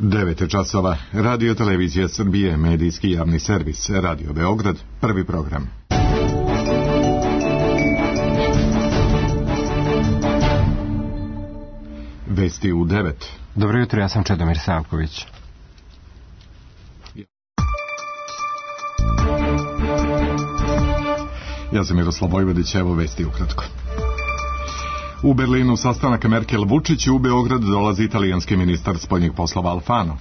9 časova. Radio Televizija Srbije, medijski javni servis, Radio Beograd, prvi program. Vesti u 9. Dobro jutro, ja sam Čedomir Savković. Ja sam Miroslav Vojvodić, evo vesti ukratko. U Berlinu sastanak Merkel-Vučić, u Beograd dolazi italijanski ministar spoljnih poslova Alfano.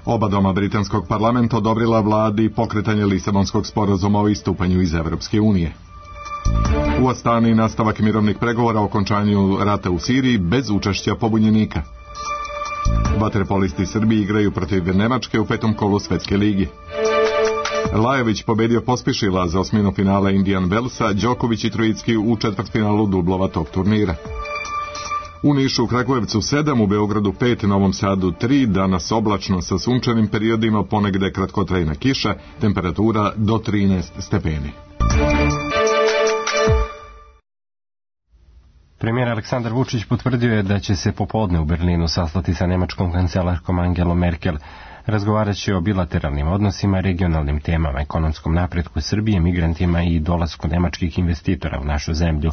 Oba doma britanskog parlamenta odobrila vladi pokretanje Lisabonskog sporazuma o istupanju iz Evropske unije. U Astani nastavak mirovnih pregovora o okončanju rata u Siriji bez učešća pobunjenika. Vaterpolisti Srbiji igraju protiv Nemačke u 5. kolu Svetske ligi. Lajović pobedio Pospišila za osminu finala Indian Wellsa, Đoković i Trojicki u četvrtfinalu dublova tog turnira. U Nišu, Kragujevcu 7, u Beogradu 5, Novom Sadu 3, danas oblačno sa sunčanim periodima, ponegde kratkotrajna kiša, temperatura do 13 stepeni. Premijer Aleksandar Vučić potvrdio je da će se popodne u Berlinu sastati sa nemačkom kancelarkom Angelom Merkel. Razgovarat će o bilateralnim odnosima, regionalnim temama, ekonomskom napretku Srbije, migrantima i dolasku nemačkih investitora u našu zemlju.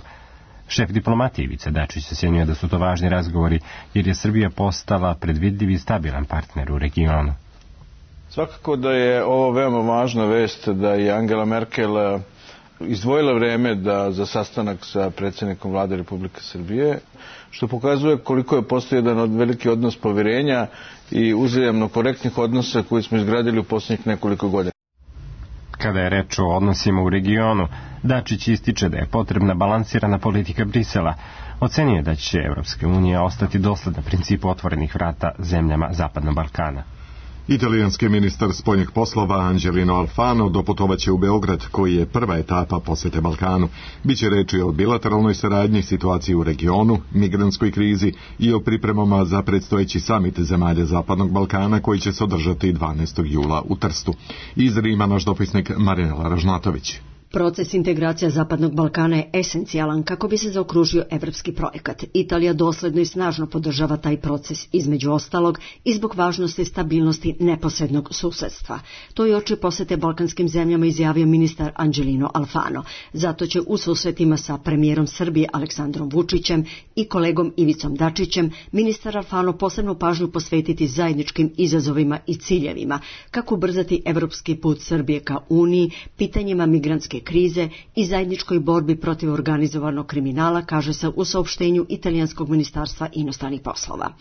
Šef diplomatije Ivica Dačić ocjenjuje da su to važni razgovori jer je Srbija postala predvidljiv i stabilan partner u regionu. Svakako da je ovo veoma važna vest da je Angela Merkel izdvojila vreme za sastanak sa predsjednikom vlade Republike Srbije, što pokazuje koliko je postoji jedan veliki odnos povjerenja i uzajamno korektnih odnosa koji smo izgradili u posljednjih nekoliko godina. Kada je reč o odnosima u regionu, Dačić ističe da je potrebna balansirana politika Brisela. Ocenjuje da će Evropska unija ostati dosledna principu otvorenih vrata zemljama Zapadnog Balkana. Italijanski ministar spoljnih poslova Angelino Alfano doputovaće u Beograd, koji je prva etapa posete Balkanu. Biće reči o bilateralnoj saradnji, situaciji u regionu, migrantskoj krizi i o pripremama za predstojeći samit zemalja Zapadnog Balkana koji će se održati 12. jula u Trstu. Iz Rima naš dopisnik Marinela Ražnatović. Proces integracija Zapadnog Balkana je esencijalan kako bi se zaokružio evropski projekat. Italija dosledno i snažno podržava taj proces, između ostalog i zbog važnosti stabilnosti neposrednog susedstva. To je oči posete balkanskim zemljama izjavio ministar Angelino Alfano. Zato će u susretima sa premijerom Srbije Aleksandrom Vučićem i kolegom Ivicom Dačićem ministar Alfano posebnu pažnju posvetiti zajedničkim izazovima i ciljevima, kako ubrzati evropski put Srbije ka Uniji, pitanjima migrantske krize i zajedničkoj borbi protiv organizovanog kriminala, kaže se u saopštenju Italijanskog ministarstva inostranih poslova.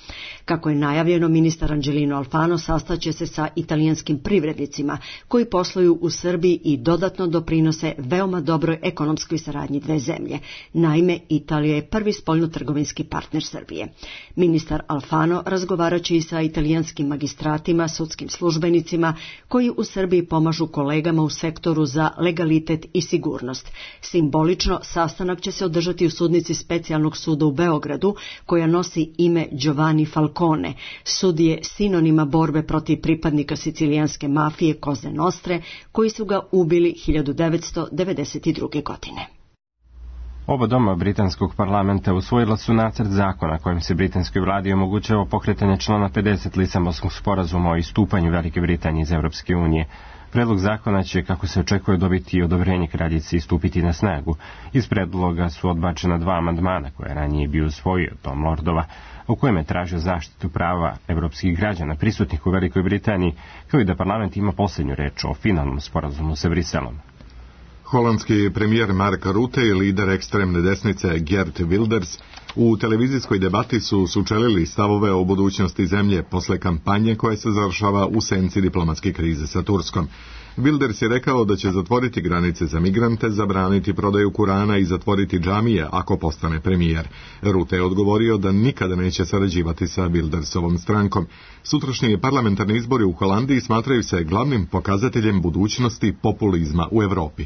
Kako je najavljeno, ministar Angelino Alfano sastaće se sa italijanskim privrednicima koji posluju u Srbiji i dodatno doprinose veoma dobroj ekonomskoj saradnji dve zemlje. Naime, Italija je prvi spoljnotrgovinski partner Srbije. Ministar Alfano razgovaraće i sa italijanskim magistratima, sudskim službenicima koji u Srbiji pomažu kolegama u sektoru za legalitet i sigurnost. Simbolično, sastanak će se održati u sudnici Specijalnog suda u Beogradu, koja nosi ime Giovanni Falcone. Sud je sinonima borbe protiv pripadnika sicilijanske mafije Koze Nostre, koji su ga ubili 1992. godine. Oba doma britanskog parlamenta usvojila su nacrt zakona kojim se britanskoj vladi omogućava pokretanje člana 50 Lisabonskog sporazuma o istupanju Velike Britanije iz Evropske unije. Predlog zakona će, kako se očekuje, dobiti odobrenje kraljice i stupiti na snagu. Iz predloga su odbačena 2 amandmana koje ranije bio usvojio Tom Lordova, u kojem je tražio zaštitu prava evropskih građana prisutnih u Velikoj Britaniji, kao i da parlament ima posljednju reč o finalnom sporazumu sa Briselom. Holandski premijer Mark Rutte i lider ekstremne desnice Geert Wilders u televizijskoj debati su sučelili stavove o budućnosti zemlje posle kampanje koja se završava u senci diplomatske krize sa Turskom. Wilders je rekao da će zatvoriti granice za migrante, zabraniti prodaju Kurana i zatvoriti džamije ako postane premijer. Rutte je odgovorio da nikada neće sarađivati sa Wildersovom strankom. Sutrašnji parlamentarni izbori u Holandiji smatraju se glavnim pokazateljem budućnosti populizma u Evropi.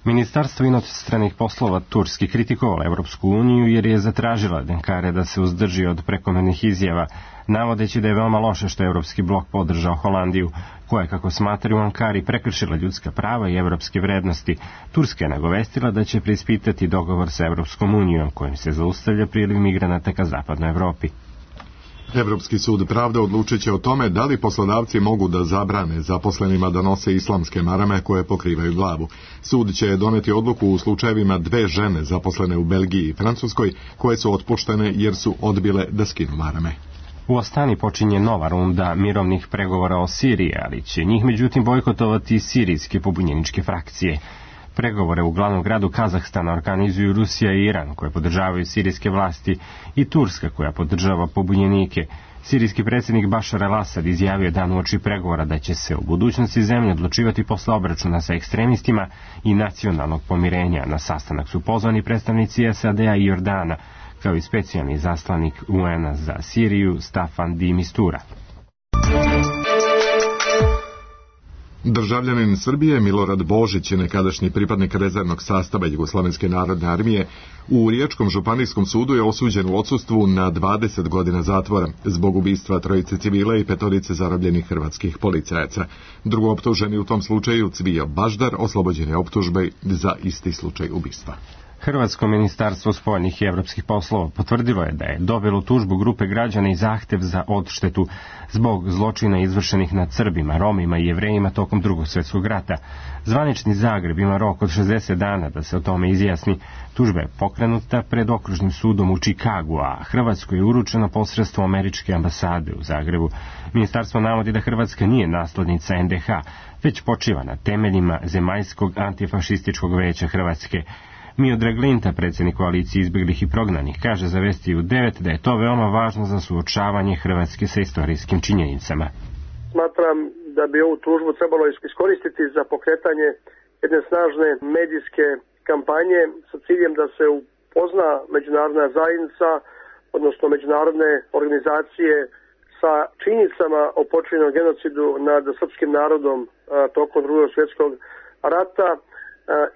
Ministarstvo inostranih poslova Turski kritikovalo Evropsku uniju jer je zatražila od Ankare da se uzdrži od prekomernih izjava, navodeći da je veoma loše što je Evropski blok podržao Holandiju, koja, kako smatraju u Ankari, prekršila ljudska prava i evropske vrednosti. Turska je nagovestila da će preispitati dogovor sa Evropskom unijom, kojim se zaustavlja priliv migranata ka zapadnoj Evropi. Evropski sud pravde odlučit će o tome da li poslodavci mogu da zabrane zaposlenima da nose islamske marame koje pokrivaju glavu. Sud će doneti odluku u slučajevima 2 žene zaposlene u Belgiji i Francuskoj koje su otpuštene jer su odbile da skinu marame. U Astani počinje nova runda mirovnih pregovora o Siriji, ali će njih međutim bojkotovati sirijske pobunjeničke frakcije. Pregovore u glavnom gradu Kazahstana organizuju Rusija i Iran, koje podržavaju sirijske vlasti, i Turska, koja podržava pobunjenike. Sirijski predsjednik Bašar el-Asad izjavio dan uoči pregovora da će se u budućnosti zemlje odlučivati posle obračuna sa ekstremistima i nacionalnog pomirenja. Na sastanak su pozvani predstavnici SAD-a i Jordana, kao i specijalni zaslanik UN-a za Siriju Staffan de Mistura. Državljanin Srbije Milorad Božić, nekadašnji pripadnik rezervnog sastava Jugoslovenske narodne armije, u Riječkom županijskom sudu je osuđen u odsustvu na 20 godina zatvora zbog ubistva 3 civila i 5 zarobljenih hrvatskih policajaca. Drugooptuženi u tom slučaju, Cvijo Baždar, oslobođen je optužbe za isti slučaj ubistva. Hrvatsko ministarstvo spoljnih i evropskih poslova potvrdilo je da je dobilo tužbu grupe građana i zahtev za odštetu zbog zločina izvršenih nad Srbima, Romima i Jevrejima tokom Drugog svjetskog rata. Zvanični Zagreb ima rok od 60 dana da se o tome izjasni. Tužba je pokrenuta pred okružnim sudom u Čikagu, a Hrvatskoj je uručena posredstvom američke ambasade u Zagrebu. Ministarstvo navodi da Hrvatska nije naslednica NDH, već počiva na temeljima Zemaljskog antifašističkog veća Hrvatske. Miodrag Linta, predsjednik koalicije izbjeglih i prognanih, kaže za Vesti u 9 da je to veoma važno za suočavanje Hrvatske sa istorijskim činjenicama. Smatram da bi ovu tužbu trebalo iskoristiti za pokretanje jedne snažne medijske kampanje sa ciljem da se upozna međunarodna zajednica, odnosno međunarodne organizacije sa činjenicama o počinjenom genocidu nad srpskim narodom tokom Drugog svjetskog rata,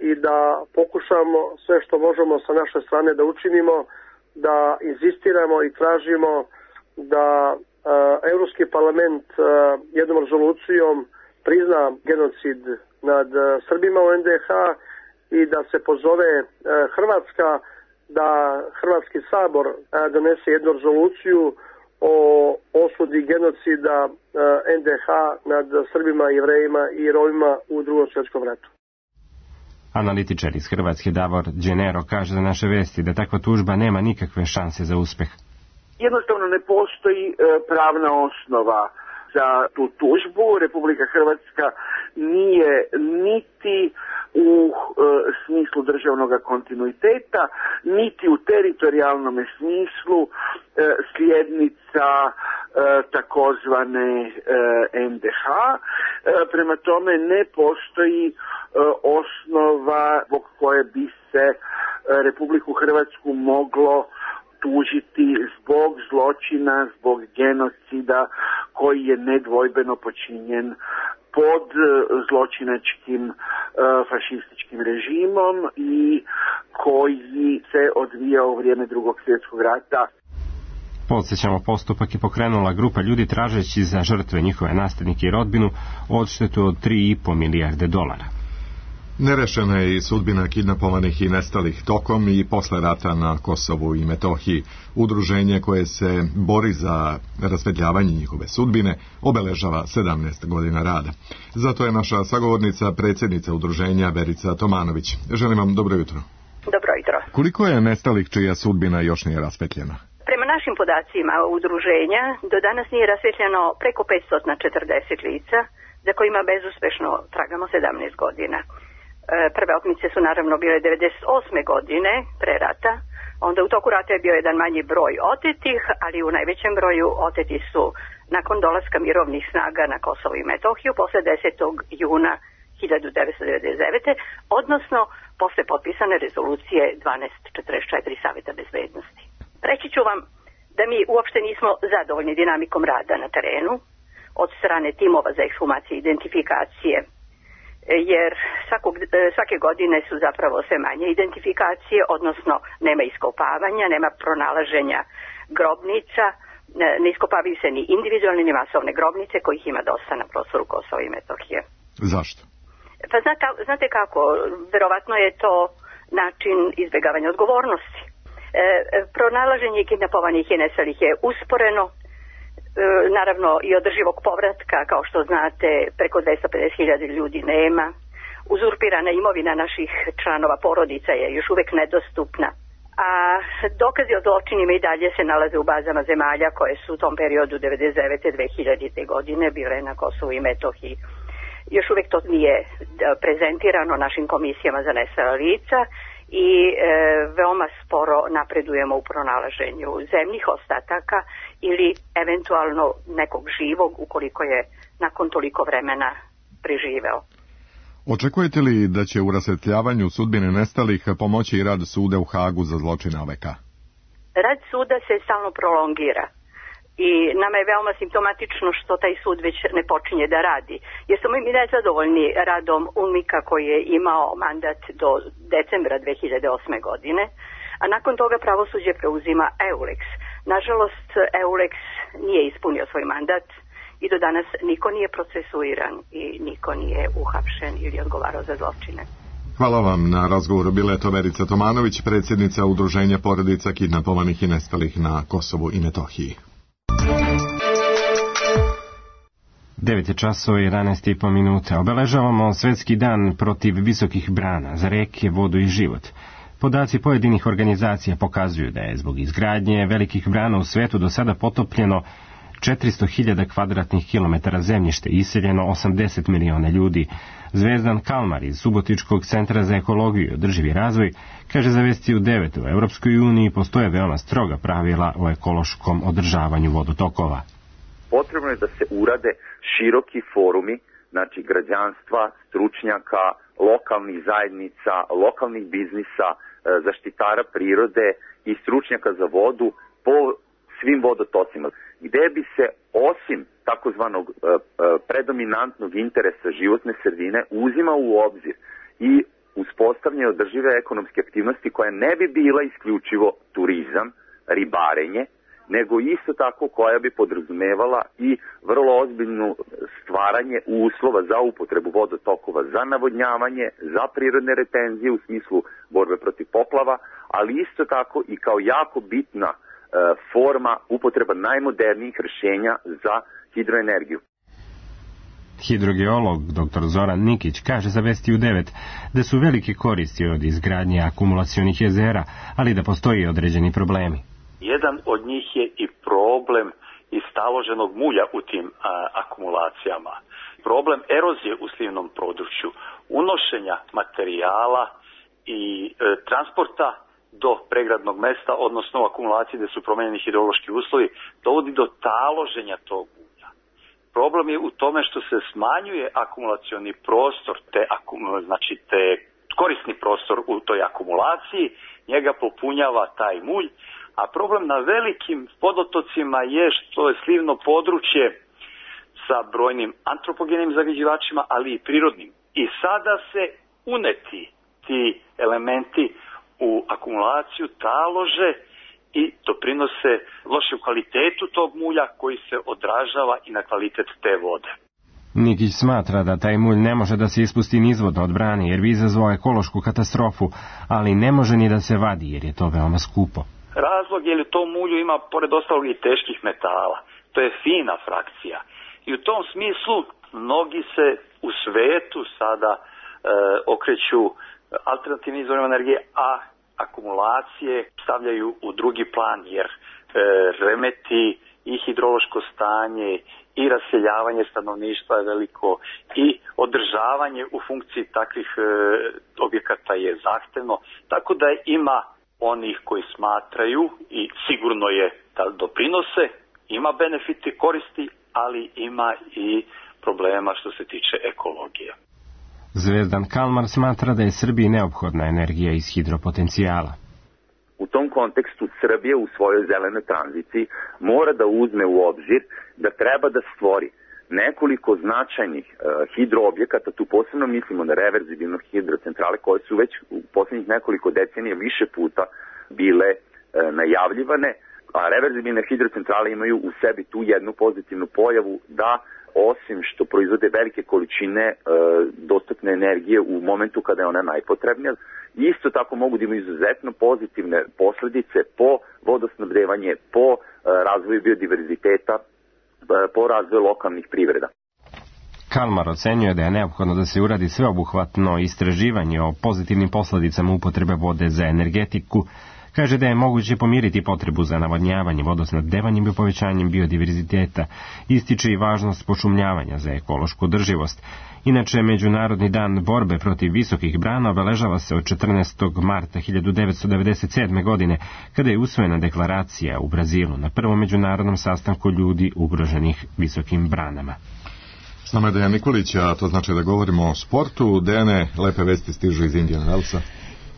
i da pokušamo sve što možemo sa naše strane da učinimo, da insistiramo i tražimo da Europski parlament jednom rezolucijom prizna genocid nad Srbima u NDH i da se pozove Hrvatska da Hrvatski sabor donese jednu rezoluciju o osudi genocida NDH nad Srbima, Jevrejima i Romima u Drugom svjetskom ratu. Analitičar iz Hrvatske Davor Đenero kaže za Naše Vesti da takva tužba nema nikakve šanse za uspeh. Jednostavno ne postoji pravna osnova za tu tužbu. Republika Hrvatska nije niti u smislu državnog kontinuiteta, niti u teritorijalnom smislu slijednica takozvane NDH. Prema tome ne postoji osnova zbog koje bi se Republiku Hrvatsku moglo tužiti zbog zločina, zbog genocida koji je nedvojbeno počinjen pod zločinačkim fašističkim režimom i koji se odvijao u vrijeme Drugog svjetskog rata. Podsjećamo, postupak je pokrenula grupa ljudi tražeći za žrtve, njihove nasljednike i rodbinu odštetu od $3,5 milijarde. Nerešena je i sudbina kidnapovanih i nestalih tokom i posle rata na Kosovu i Metohiji. Udruženje koje se bori za rasvetljavanje njihove sudbine obeležava 17 godina rada. Zato je naša sagovornica, predsjednica udruženja Verica Tomanović. Želim vam dobro jutro. Dobro jutro. Koliko je nestalih čija sudbina još nije rasvetljena? Prema našim podacima udruženja do danas nije rasvetljeno preko 540 lica za kojima bezuspešno tragamo 17 godina. Prve otmice su naravno bile 98. godine pre rata, onda u toku rata je bio jedan manji broj otetih, ali u najvećem broju oteti su nakon dolaska mirovnih snaga na Kosovo i Metohiju posle 10. juna 1999. odnosno posle potpisane rezolucije 1244 Saveta bezbednosti. Reći ću vam da mi uopšte nismo zadovoljni dinamikom rada na terenu od strane timova za ekshumaciju i identifikacije, jer svake godine su zapravo sve manje identifikacije, odnosno nema iskopavanja, nema pronalaženja grobnica, ne iskopavaju se ni individualne ni masovne grobnice kojih ima dosta na prostoru Kosova i Metohije. Zašto? Pa znate kako, verovatno je to način izbjegavanja odgovornosti. Pronalaženje kidnapovanih i nestalih je usporeno, naravno i održivog povratka, kao što znate, preko 250.000 ljudi nema. Uzurpirana imovina naših članova porodica je još uvek nedostupna, a dokazi o zločinima i dalje se nalaze u bazama zemalja koje su u tom periodu 1999. 2000. godine bile na Kosovu i Metohiji. Još uvek to nije prezentirano našim komisijama za nestala lica i veoma sporo napredujemo u pronalaženju zemnih ostataka ili eventualno nekog živog ukoliko je nakon toliko vremena preživeo. Očekujete li da će u rasvetljavanju sudbine nestalih pomoći i rad suda u Hagu za zločine OVK? Rad suda se stalno prolongira i nama je veoma simptomatično što taj sud već ne počinje da radi. Jer smo mi nezadovoljni radom UNMIK-a koji je imao mandat do decembra 2008. godine, a nakon toga pravosuđe preuzima EULEX. Nažalost, EULEX nije ispunio svoj mandat i do danas niko nije procesuiran i niko nije uhapšen ili odgovarao za zločine. Hvala vam na razgovoru. Bila je to Verica Tomanović, predsjednica Udruženja porodica kidnapovanih i nestalih na Kosovu i Metohiji. 9:11:05. Obeležavamo Svetski dan protiv visokih brana za reke, vodu i život. Podaci pojedinih organizacija pokazuju da je zbog izgradnje velikih brana u svetu do sada potopljeno 400.000 kvadratnih kilometara zemljište, iseljeno 80 miliona ljudi. Zvezdan Kalmar iz Subotičkog centra za ekologiju i održivi razvoj kaže za Vesti u 9. U Europskoj uniji postoje veoma stroga pravila o ekološkom održavanju vodotokova. Potrebno je da se urade široki forumi, znači građanstva, stručnjaka, lokalnih zajednica, lokalnih biznisa, zaštitara prirode i stručnjaka za vodu po svim vodotocima, gde bi se osim takozvanog predominantnog interesa životne sredine uzima u obzir i uspostavljanje održive ekonomske aktivnosti koja ne bi bila isključivo turizam, ribarenje, nego isto tako koja bi podrazumevala i vrlo ozbiljno stvaranje uslova za upotrebu vodotokova, za navodnjavanje, za prirodne retenzije u smislu borbe protiv poplava, ali isto tako i kao jako bitna forma upotreba najmodernijih rješenja za hidroenergiju. Hidrogeolog dr. Zoran Nikić kaže za Vesti u 9 da su velike koristi od izgradnje akumulacionih jezera, ali da postoji određeni problemi. Jedan od njih je i problem istaloženog mulja u tim akumulacijama. Problem erozije u slivnom području, unošenja materijala i transporta do pregradnog mesta, odnosno u akumulaciji gdje su promijenjeni hidrološki uslovi, dovodi do taloženja tog ulja. Problem je u tome što se smanjuje akumulacioni prostor, te korisni prostor u toj akumulaciji, njega popunjava taj mulj, a problem na velikim vodotocima je što je slivno područje sa brojnim antropogenim zagađivačima, ali i prirodnim. I sada se uneti ti elementi u akumulaciju talože i doprinose lošem kvalitetu tog mulja koji se odražava i na kvalitet te vode. Nikić smatra da taj mulj ne može da se ispusti nizvodno od brane jer bi izazvao ekološku katastrofu, ali ne može ni da se vadi jer je to veoma skupo. Razlog je li to mulju ima pored ostalog i teških metala. To je fina frakcija. I u tom smislu mnogi se u svetu sada okreću alternativnim izvorima energije, a akumulacije stavljaju u drugi plan jer remeti i hidrološko stanje i raseljavanje stanovništva je veliko i održavanje u funkciji takvih objekata je zahtevno, tako da ima onih koji smatraju i sigurno je da doprinose, ima benefiti, koristi, ali ima i problema što se tiče ekologije. Zvezdan Kalmar smatra da je Srbiji neophodna energija iz hidropotencijala. U tom kontekstu Srbija u svojoj zelenoj tranziciji mora da uzme u obzir da treba da stvori nekoliko značajnih hidroobjekata, tu posebno mislimo na reverzibilne hidrocentrale koje su već u posljednjih nekoliko decenija više puta bile najavljivane, a reverzibilne hidrocentrale imaju u sebi tu jednu pozitivnu pojavu da osim što proizvode velike količine dostupne energije u momentu kada je ona najpotrebnija, isto tako mogu da imaju izuzetno pozitivne posljedice po vodosnabdevanje, po razvoju biodiverziteta po razvoju lokalnih privreda. Kalmar ocenjuje da je neophodno da se uradi sveobuhvatno istraživanje o pozitivnim posledicama upotrebe vode za energetiku. Kaže da je moguće pomiriti potrebu za navodnjavanje, vodosnabdevanjem i povećanjem biodiverziteta. Ističe i važnost pošumljavanja za ekološku održivost. Inače, Međunarodni dan borbe protiv visokih brana obeležava se od 14. marta 1997. godine, kada je usvojena deklaracija u Brazilu na prvom međunarodnom sastanku ljudi ugroženih visokim branama. S nama je Dejan Nikolić, a to znači da govorimo o sportu. Dejane, lepe vesti stižu iz Indiana Wellsa.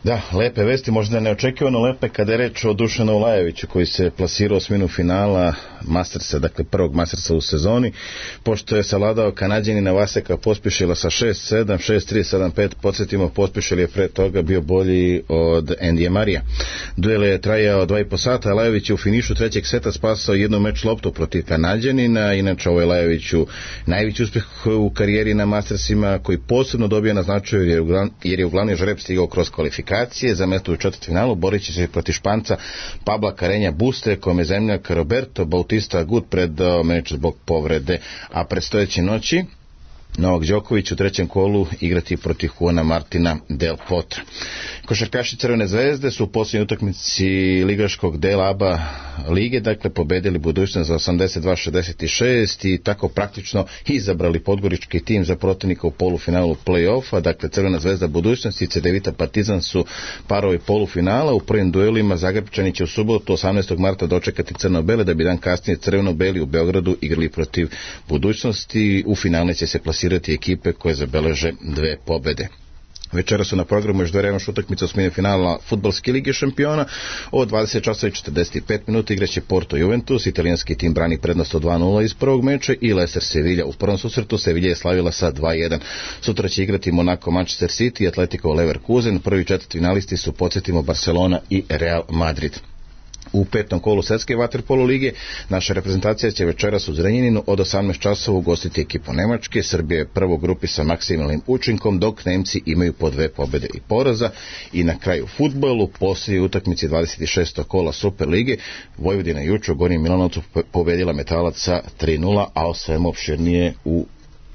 Da, lepe vesti, možda neočekivano lepe kada je reč o Dušanu Ulajeviću koji se plasirao u osminu finala Mastersa, dakle prvog Mastersa u sezoni, pošto je savladao Kanađanina Vaseka Pospišila sa 6-7, 6-3, 7-5, podsjetimo, Pospišil je pre toga bio bolji od Endija Marija. Duel je trajao 2,5 sata, Ulajević je u finišu trećeg seta spasao jednu meč loptu protiv Kanađanina, inače ovo je Ulajeviću najveći uspjeh u karijeri na Mastersima, koji posebno dobija na značaju jer je u glavni žreb stigao kroz kvalifikacije za mesto u četvrtfinalu, borit će se protiv Španca Pabla Carreña Buste, kome zemljak Roberto Bautista Agut predao meč zbog povrede, a predstojeće noći Novak Đoković u trećem kolu igrati protiv Juana Martina Del Potra. Košarkaši Crvene zvezde su u posljednjoj utakmici ligaškog dela ABA lige, dakle pobedili Budućnost za 82-66 i tako praktično izabrali podgorički tim za protivnika u polufinalu play-offa. Dakle, Crvena zvezda Budućnost i Cedevita Partizan su parovi polufinala. U prvim duelima Zagrebčani će u subotu 18. marta dočekati crno-bele, da bi dan kasnije crveno-beli u Beogradu igrali protiv Budućnosti. U finale će se plasirati ekipe koje zabeleže 2 pobede. Večera su na programu još 2 revanš utakmice osmine finala Fudbalske lige šampiona. Od 20:45 igraće Porto Juventus, italijanski tim brani prednost od 2-0 iz prvog meča, i Leicester Sevilla. U prvom susretu Sevilla je slavila sa 2-1. Sutra će igrati Monaco Manchester City i Atletico Leverkusen. Prvi četvrtfinalisti su, podsjetimo, Barcelona i Real Madrid. U petom kolu Svetske vaterpolo lige naša reprezentacija će večeras u Zrenjaninu od 18 časova ugostiti ekipu Nemačke. Srbija je prvo u grupi sa maksimalnim učinkom, dok Nemci imaju po 2 pobjede i poraza. I na kraju fudbalu, poslije utakmici 26. kola Super lige, Vojvodina juče u Gornjem Milanovcu pobedila Metalac sa 3-0, a o svemu opširnije u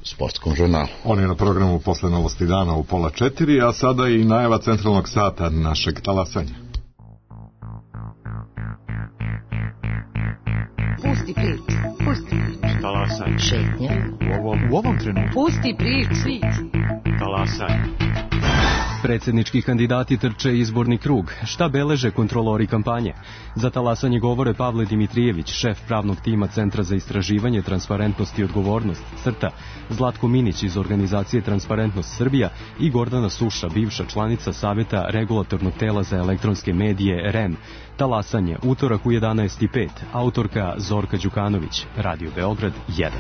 sportskom žurnalu. On je na programu posle novosti dana u 3:30, a sada i najava centralnog sata našeg talasanja. Pusti priču, pusti priču. Talasanje. Šetnja. U ovom trenutku. Pusti priču. Talasanje. Predsjednički kandidati trče izborni krug. Šta beleže kontrolori kampanje? Za talasanje govore Pavle Dimitrijević, šef pravnog tima Centra za istraživanje, transparentnost i odgovornost, CRTA, Zlatko Minić iz organizacije Transparentnost Srbija i Gordana Suša, bivša članica Savjeta regulatornog tela za elektronske medije REM. Talasanje, utorak u 11:05, autorka Zorka Đukanović, Radio Beograd 1.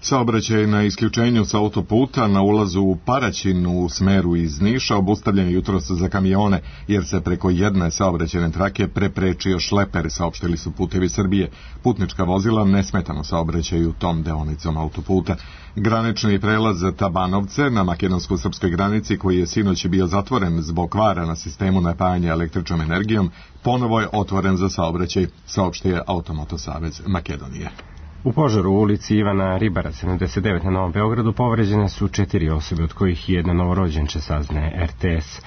Saobraćaj na isključenju sa autoputa na ulazu u Paraćin u smeru iz Niša obustavljen jutros za kamione, jer se preko jedne saobraćajne trake preprečio šleper, saopštili su Putevi Srbije. Putnička vozila nesmetano saobraćaju tom deonicom autoputa. Granični prelaz Tabanovce na makedonsko-srpskoj granici, koji je sinoć bio zatvoren zbog kvara na sistemu napajanja električnom energijom, ponovo je otvoren za saobraćaj, saopštio Automoto savez Makedonije. U požaru u ulici Ivana Ribara 79 na Novom Beogradu povređene su 4 osobe, od kojih jedna novorođenče, saznaje RTS.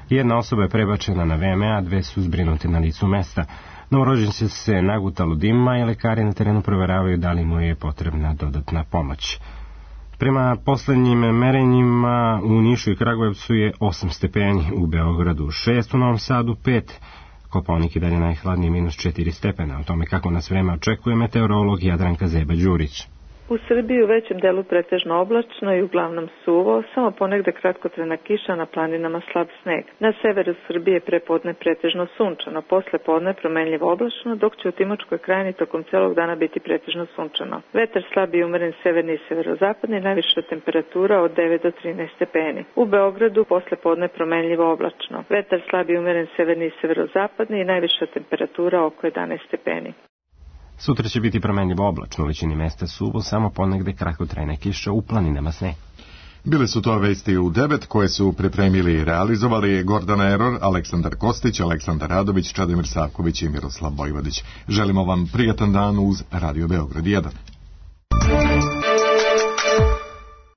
Jedna osoba je prebačena na VMA, 2 su zbrinute na licu mesta. Novorođenče se nagutalo dimma i lekari na terenu proveravaju da li mu je potrebna dodatna pomoć. Prema poslednjim merenjima u Nišu i Kragujevcu je 8 stepeni, u Beogradu 6, u Novom Sadu 5, Kopaonik je dalje najhladniji -4 stepena. O tome kako nas vreme očekuje meteorolog Jadranka Zeba-Đurić. U Srbiji u većem delu pretežno oblačno i uglavnom suvo, samo ponegde kratkotrajna kiša, na planinama slab sneg. Na severu Srbije prepodne pretežno sunčano, posle podne promenljivo oblačno, dok će u Timočkoj krajini tokom celog dana biti pretežno sunčano. Vetar slab i umeren severni i severozapadni, najviša temperatura od 9 do 13 stepeni. U Beogradu posle podne promenljivo oblačno. Vetar slab i umeren severni i severozapadni i najviša temperatura oko 11 stepeni. Sutra će biti promenljivo oblačno, u većini mesta suvo, samo ponegde kratkotrajna kiša, u planinama sneg. Bile su to vesti u 9 koje su pripremili i realizovali Gordana Eror, Aleksandar Kostić, Aleksandar Radović, Čadomir Savković i Miroslav Bojvodić. Želimo vam prijatan dan uz Radio Beograd 1.